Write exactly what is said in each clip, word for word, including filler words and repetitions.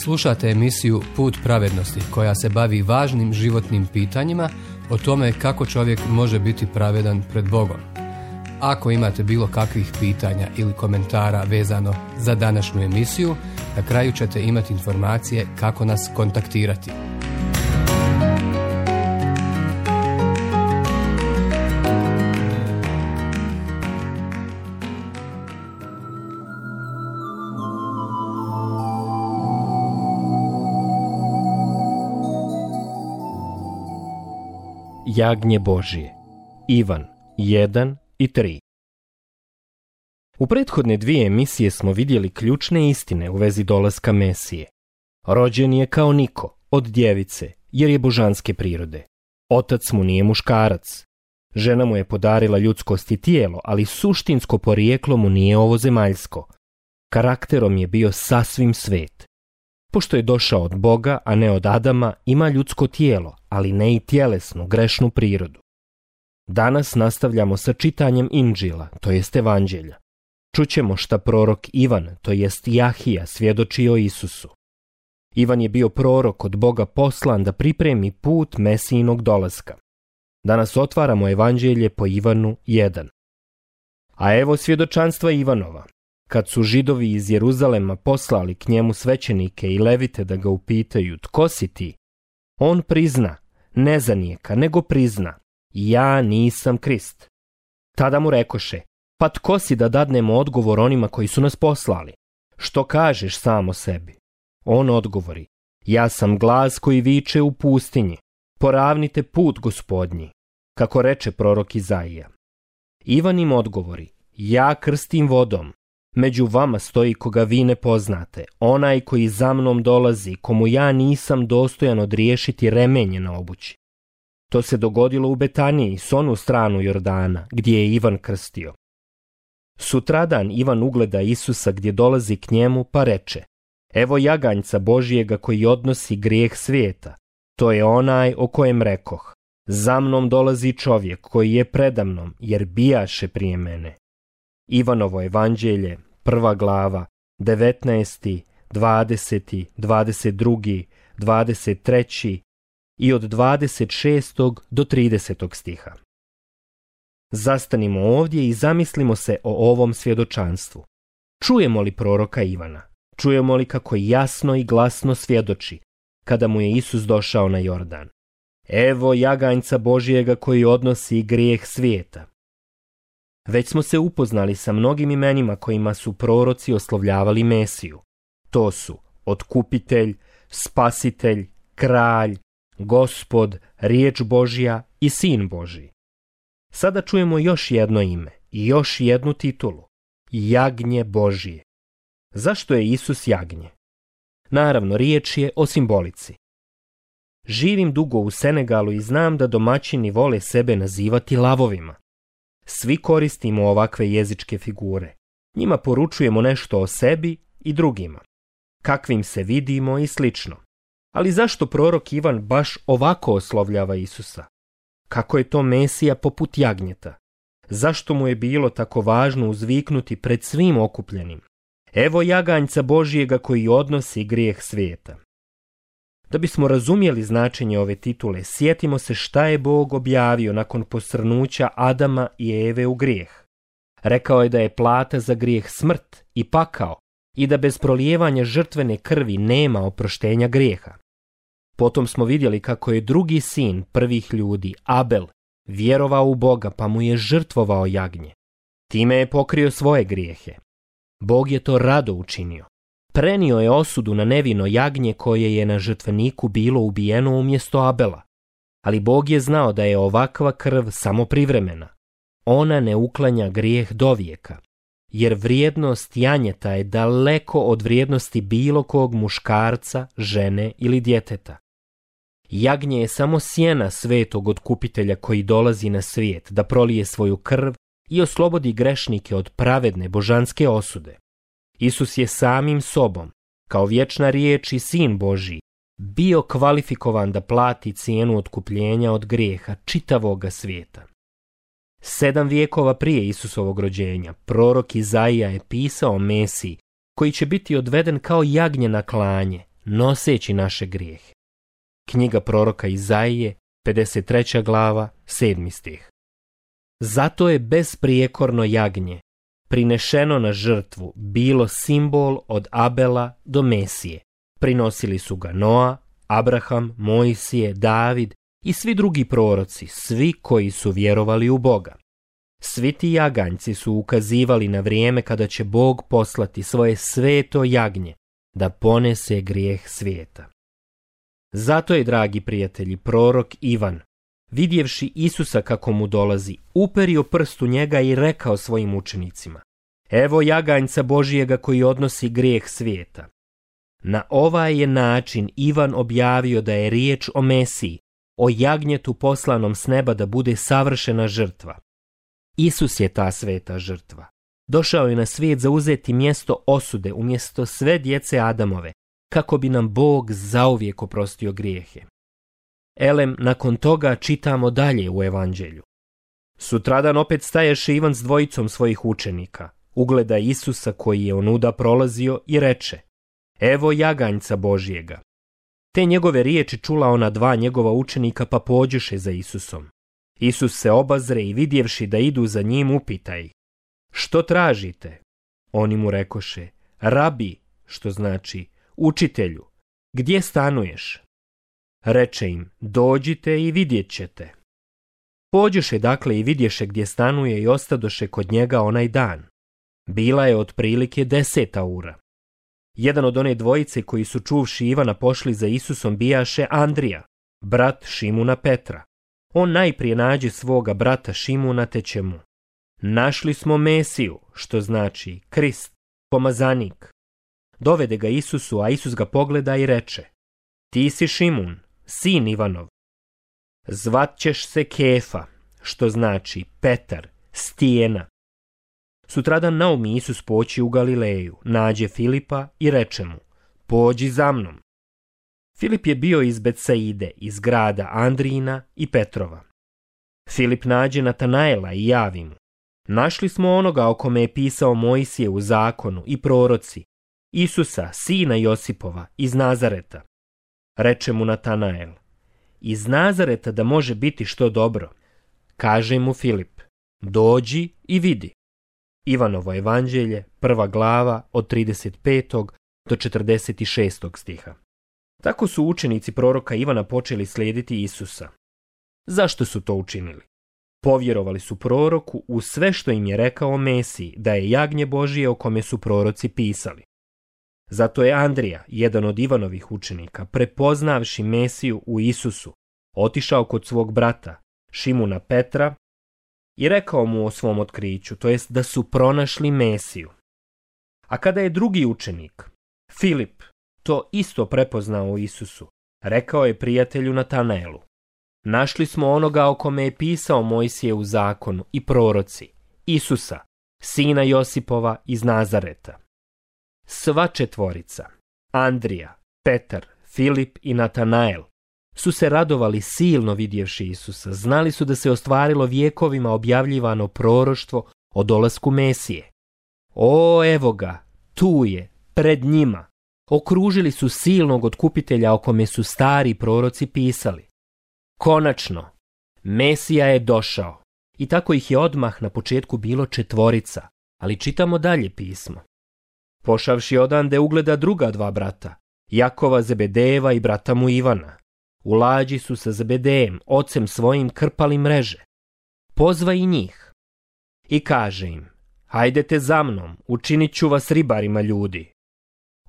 Slušate emisiju Put pravednosti koja se bavi važnim životnim pitanjima o tome kako čovjek može biti pravedan pred Bogom. Ako imate bilo kakvih pitanja ili komentara vezano za današnju emisiju, na kraju ćete imati informacije kako nas kontaktirati. Jagnje Božije. Ivan jedan i tri. U prethodne dvije emisije smo vidjeli ključne istine u vezi dolaska Mesije. Rođen je kao niko, od djevice, jer je božanske prirode. Otac mu nije muškarac. Žena mu je podarila ljudskost i tijelo, ali suštinsko porijeklo mu nije ovozemaljsko. Karakterom je bio sasvim svet. Pošto je došao od Boga, a ne od Adama, ima ljudsko tijelo, ali ne i tjelesnu, grešnu prirodu. Danas nastavljamo sa čitanjem Inđila, to jest Evanđelja. Čućemo šta prorok Ivan, to jest Jahija, svjedoči o Isusu. Ivan je bio prorok od Boga poslan da pripremi put Mesijinog dolaska. Danas otvaramo Evanđelje po Ivanu jedan. A evo svjedočanstva Ivanova. Kad su Židovi iz Jeruzalema poslali k njemu svećenike i levite da ga upitaju, tko si ti? On prizna, ne zanijeka, nego prizna, ja nisam Krist. Tada mu rekoše, pa tko si da dadnemo odgovor onima koji su nas poslali? Što kažeš sam o sebi? On odgovori, ja sam glas koji viče u pustinji, poravnite put Gospodnji, kako reče prorok Izaija. Ivan im odgovori, ja krstim vodom, među vama stoji koga vi ne poznate, onaj koji za mnom dolazi, komu ja nisam dostojan odriješiti remenje na obući. To se dogodilo u Betaniji, s onu stranu Jordana, gdje je Ivan krstio. Sutradan Ivan ugleda Isusa gdje dolazi k njemu, pa reče, evo jaganjca Božijega koji odnosi grijeh svijeta, to je onaj o kojem rekoh, za mnom dolazi čovjek koji je predamnom, jer bijaše prije mene. Ivanovo evanđelje, prva glava, devetnaesti, dvadeseti, dvadeset drugi, dvadeset treći i od dvadeset šestog do tridesetog stiha. Zastanimo ovdje i zamislimo se o ovom svjedočanstvu. Čujemo li proroka Ivana? Čujemo li kako jasno i glasno svjedoči kada mu je Isus došao na Jordan? Evo jaganjca Božijega koji odnosi grijeh svijeta. Već smo se upoznali sa mnogim imenima kojima su proroci oslovljavali Mesiju. To su Otkupitelj, Spasitelj, Kralj, Gospod, Riječ Božja i Sin Božji. Sada čujemo još jedno ime i još jednu titulu. Jagnje Božije. Zašto je Isus jagnje? Naravno, riječ je o simbolici. Živim dugo u Senegalu i znam da domaćini vole sebe nazivati lavovima. Svi koristimo ovakve jezičke figure. Njima poručujemo nešto o sebi i drugima. Kakvim se vidimo i slično. Ali zašto prorok Ivan baš ovako oslovljava Isusa? Kako je to Mesija poput jagnjeta? Zašto mu je bilo tako važno uzviknuti pred svim okupljenim? Evo jaganjca Božijega koji odnosi grijeh svijeta. Da bismo razumjeli značenje ove titule, sjetimo se šta je Bog objavio nakon posrnuća Adama i Eve u grijeh. Rekao je da je plata za grijeh smrt i pakao i da bez prolijevanja žrtvene krvi nema oproštenja grijeha. Potom smo vidjeli kako je drugi sin prvih ljudi, Abel, vjerovao u Boga pa mu je žrtvovao jagnje. Time je pokrio svoje grijehe. Bog je to rado učinio. Prenio je osudu na nevino jagnje koje je na žrtveniku bilo ubijeno umjesto Abela. Ali Bog je znao da je ovakva krv samo privremena. Ona ne uklanja grijeh dovijeka, jer vrijednost janjeta je daleko od vrijednosti bilo kog muškarca, žene ili djeteta. Jagnje je samo sjena svetog otkupitelja koji dolazi na svijet da prolije svoju krv i oslobodi grešnike od pravedne božanske osude. Isus je samim sobom, kao vječna riječ i Sin Božji, bio kvalifikovan da plati cijenu otkupljenja od grijeha čitavoga svijeta. Sedam vijekova prije Isusovog rođenja, prorok Izaija je pisao o Mesiji, koji će biti odveden kao jagnje na klanje, noseći naše grijehe. Knjiga proroka Izaije, pedeset treća glava, sedmi stih. Zato je besprijekorno jagnje, prinešeno na žrtvu, bilo simbol od Abela do Mesije. Prinosili su ga Noa, Abraham, Mojsije, David i svi drugi proroci, svi koji su vjerovali u Boga. Svi ti jaganjci su ukazivali na vrijeme kada će Bog poslati svoje sveto jagnje da ponese grijeh svijeta. Zato je, dragi prijatelji, prorok Ivan, vidjevši Isusa kako mu dolazi, uperio prst u njega i rekao svojim učenicima: evo jaganjca Božijega koji odnosi grijeh svijeta. Na ovaj je način Ivan objavio da je riječ o Mesiji, o jagnjetu poslanom s neba da bude savršena žrtva. Isus je ta sveta žrtva. Došao je na svijet zauzeti mjesto osude umjesto sve djece Adamove, kako bi nam Bog zauvijek oprostio grijehe. Elem, nakon toga čitamo dalje u Evanđelju. Sutradan opet staješe Ivan s dvojicom svojih učenika, ugleda Isusa koji je onuda prolazio i reče: evo jaganjca Božijega. Te njegove riječi čula ona dva njegova učenika, pa pođoše za Isusom. Isus se obazre i vidjevši da idu za njim, upita ih: što tražite? Oni mu rekoše: rabi, što znači učitelju, gdje stanuješ? Reče im: dođite i vidjet ćete. Pođoše dakle i vidješe gdje stanuje i ostadoše kod njega onaj dan. Bila je otprilike deseta ura. Jedan od one dvojice koji su čuvši Ivana pošli za Isusom bijaše Andrija, brat Šimuna Petra. On najprije nađe svoga brata Šimuna te će mu: našli smo Mesiju, što znači Krist, pomazanik. Dovede ga Isusu, a Isus ga pogleda i reče: ti si Šimun, sin Ivanov. Zvat ćeš se Kefa, što znači Petar, stijena. Sutradan naumi Isus poći u Galileju, nađe Filipa i reče mu: pođi za mnom. Filip je bio iz Betsaide, iz grada Andrijina i Petrova. Filip nađe Natanaela i javi mu: našli smo onoga o kome je pisao Mojsije u zakonu i proroci, Isusa, sina Josipova, iz Nazareta. Reče mu Natanael: iz Nazareta da može biti što dobro? Kaže mu Filip: dođi i vidi. Ivanovo evanđelje, prva glava, od trideset petog do četrdeset šestog stiha. Tako su učenici proroka Ivana počeli slijediti Isusa. Zašto su to učinili? Povjerovali su proroku u sve što im je rekao o Mesiji, da je jagnje Božije o kome su proroci pisali. Zato je Andrija, jedan od Ivanovih učenika, prepoznavši Mesiju u Isusu, otišao kod svog brata, Šimuna Petra, i rekao mu o svom otkriću, to jest da su pronašli Mesiju. A kada je drugi učenik, Filip, to isto prepoznao u Isusu, rekao je prijatelju Natanaelu: našli smo onoga o kome je pisao Mojsije u zakonu i proroci, Isusa, sina Josipova iz Nazareta. Sva četvorica, Andrija, Petar, Filip i Natanael, su se radovali silno vidjevši Isusa. Znali su da se ostvarilo vjekovima objavljivano proroštvo o dolasku Mesije. O, evo ga, tu je, pred njima. Okružili su silnog otkupitelja o kome su stari proroci pisali. Konačno, Mesija je došao. I tako ih je odmah na početku bilo četvorica, ali čitamo dalje pismo. Pošavši odande ugleda druga dva brata, Jakova Zebedejeva i brata mu Ivana. U lađi su sa Zebedejem, ocem svojim, krpali mreže. Pozva i njih i kaže im: hajdete za mnom, učinit ću vas ribarima ljudi.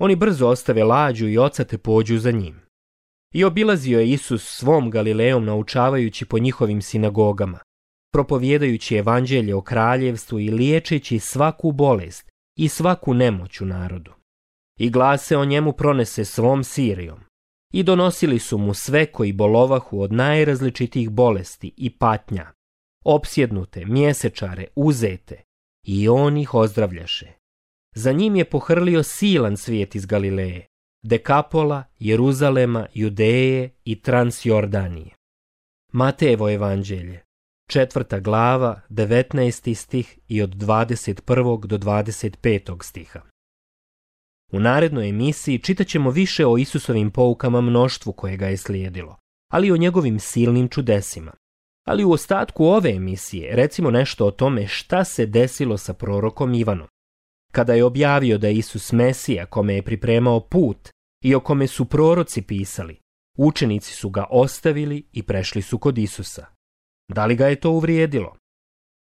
Oni brzo ostave lađu i oca te pođu za njim. I obilazio je Isus svom Galilejom, naučavajući po njihovim sinagogama, propovjedajući evanđelje o kraljevstvu i liječeći svaku bolest i svaku nemoć u narodu. I glas se o njemu pronese svom Sirijom. I donosili su mu sve koji bolovahu od najrazličitijih bolesti i patnja, opsjednute, mjesečare, uzete, i on ih ozdravljaše. Za njim je pohrlio silan svijet iz Galileje, Dekapola, Jeruzalema, Judeje i Transjordanije. Matejevo evanđelje, četvrta glava, devetnaesti stih i od dvadeset prvog do dvadeset petog stiha. U narednoj emisiji čitat ćemo više o Isusovim poukama mnoštvu koje ga je slijedilo, ali i o njegovim silnim čudesima. Ali u ostatku ove emisije recimo nešto o tome šta se desilo sa prorokom Ivanom. Kada je objavio da je Isus Mesija kome je pripremao put i o kome su proroci pisali, učenici su ga ostavili i prešli su kod Isusa. Da li ga je to uvrijedilo?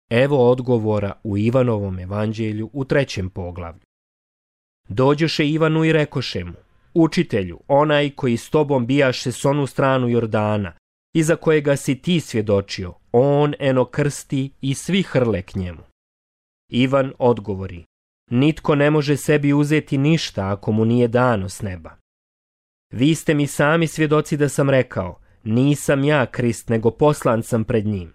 Evo odgovora u Ivanovom evanđelju u trećem poglavlju. Dođoše Ivanu i rekoše mu: Učitelju, onaj koji s tobom bijaše s onu stranu Jordana, iza kojega si ti svjedočio, on eno krsti i svi hrle k njemu. Ivan odgovori: Nitko ne može sebi uzeti ništa ako mu nije dano s neba. Vi ste mi sami svjedoci da sam rekao: Nisam ja Krist, nego poslan sam pred njim.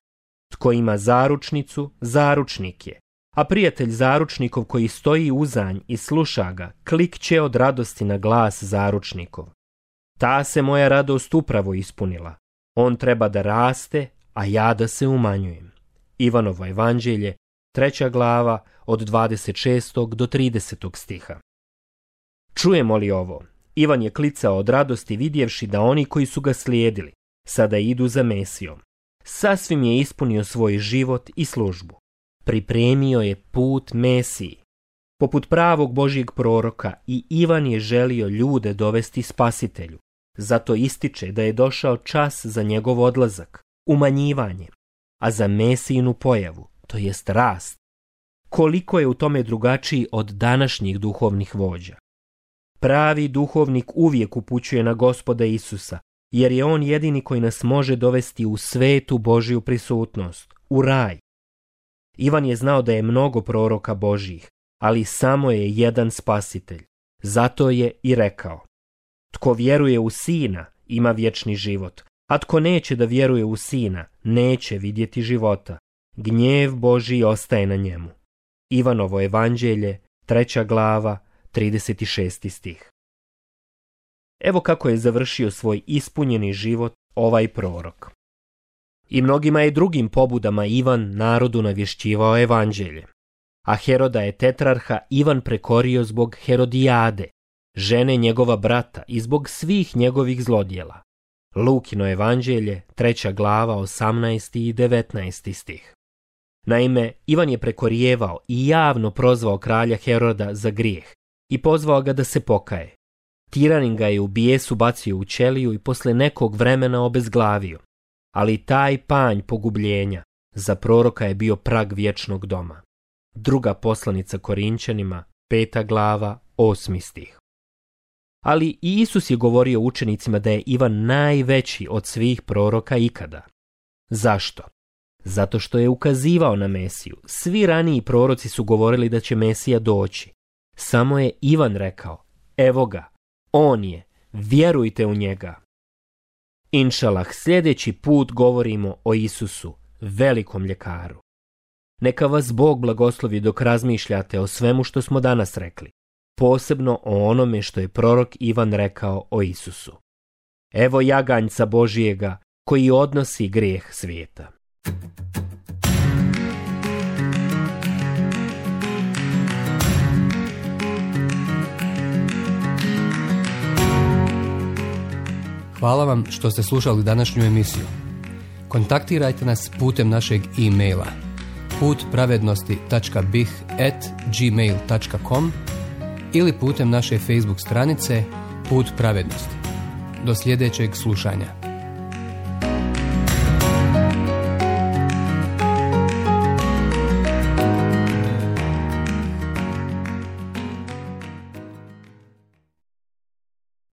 Tko ima zaručnicu, zaručnik je, a prijatelj zaručnikov koji stoji uzanj i sluša ga, klikće od radosti na glas zaručnikov. Ta se moja radost upravo ispunila. On treba da raste, a ja da se umanjujem. Ivanovo evanđelje, treća glava, od dvadeset šestog do tridesetog stiha. Čujemo li ovo? Ivan je klicao od radosti vidjevši da oni koji su ga slijedili sada idu za Mesijom. Sasvim je ispunio svoj život i službu. Pripremio je put Mesiji. Poput pravog Božjeg proroka i Ivan je želio ljude dovesti Spasitelju. Zato ističe da je došao čas za njegov odlazak, umanjivanje, a za Mesijinu pojavu, to jest rast. Koliko je u tome drugačiji od današnjih duhovnih vođa. Pravi duhovnik uvijek upućuje na Gospoda Isusa, jer je on jedini koji nas može dovesti u svetu Božju prisutnost, u raj. Ivan je znao da je mnogo proroka Božjih, ali samo je jedan Spasitelj. Zato je i rekao: Tko vjeruje u Sina ima vječni život, a tko neće da vjeruje u Sina neće vidjeti života. Gnjev Božji ostaje na njemu. Ivanovo evanđelje, treća glava, trideset šesti stih. Evo kako je završio svoj ispunjeni život ovaj prorok. I mnogima je drugim pobudama Ivan narodu navješćivao evanđelje. A Heroda je tetrarha Ivan prekorio zbog Herodijade, žene njegova brata, i zbog svih njegovih zlodjela. Lukino evanđelje, treća glava, osamnaesti i devetnaesti stih. Naime, Ivan je prekorijevao i javno prozvao kralja Heroda za grijeh i pozvao ga da se pokaje. Tiranin ga je u bijesu bacio u ćeliju i posle nekog vremena obezglavio. Ali taj panj pogubljenja za proroka je bio prag vječnog doma. Druga poslanica Korinčanima, peta glava, osmi stih. Ali i Isus je govorio učenicima da je Ivan najveći od svih proroka ikada. Zašto? Zato što je ukazivao na Mesiju. Svi raniji proroci su govorili da će Mesija doći. Samo je Ivan rekao: Evo ga, on je, vjerujte u njega. Inšalah, sljedeći put govorimo o Isusu, velikom ljekaru. Neka vas Bog blagoslovi dok razmišljate o svemu što smo danas rekli, posebno o onome što je prorok Ivan rekao o Isusu. Evo jaganjca Božijega koji odnosi grijeh svijeta. Hvala vam što ste slušali današnju emisiju. Kontaktirajte nas putem našeg e-maila put pravednosti tačka b i h at gmail tačka com ili putem naše Facebook stranice Put pravednosti. Do sljedećeg slušanja.